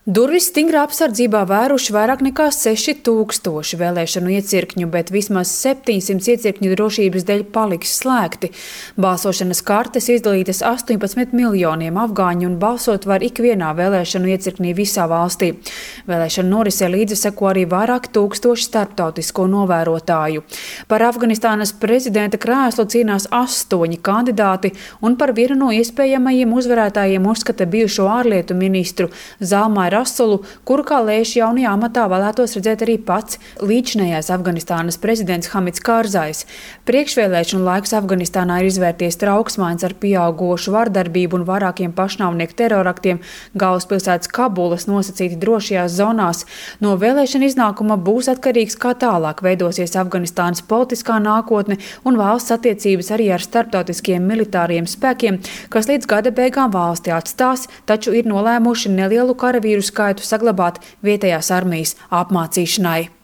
Durvis stingrā apsardzībā vēruši vairāk nekā 6000 vēlēšanu iecirkņu, bet vismaz 700 iecirkņu drošības dēļ paliks slēgti. Balsošanas kartes izdalītas 18 miljoniem afgāņu un balsot var ikvienā vēlēšanu iecirknī visā valstī. Vēlēšanu norisē līdzi seko arī vairāk tūkstoši starptautisko novērotāju. Par Afganistānas prezidenta krēslu cīnās 8 kandidāti, un par vienu no iespējamajiem uzvarētājiem uzskata bijušo ārlietu ministru Zalmai Rasulu, kuru kā lēš jaunajā amatā vēlētos redzēt arī pats līdzinējais Afganistānas prezidents Hamids Kārzais. Priekšvēlēšanu laiks Afganistānā ir izvērties trauksmains ar pieaugošu vardarbību un vairākiem pašnāvnieku teroraktiem galvaspilsētas Kabulas nosacīti drošajās zonās. No vēlēšana iznākuma būs atkarīgs, kā tālāk veidosies Afganistānas politiskā nākotne un valsts attiecības arī ar starptautiskiem militāriem spēkiem, kas līdz gada beigām valsti atstās, taču ir nolēmuši nelielu karavīru skaitu saglabāt vietējās armijas apmācīšanai.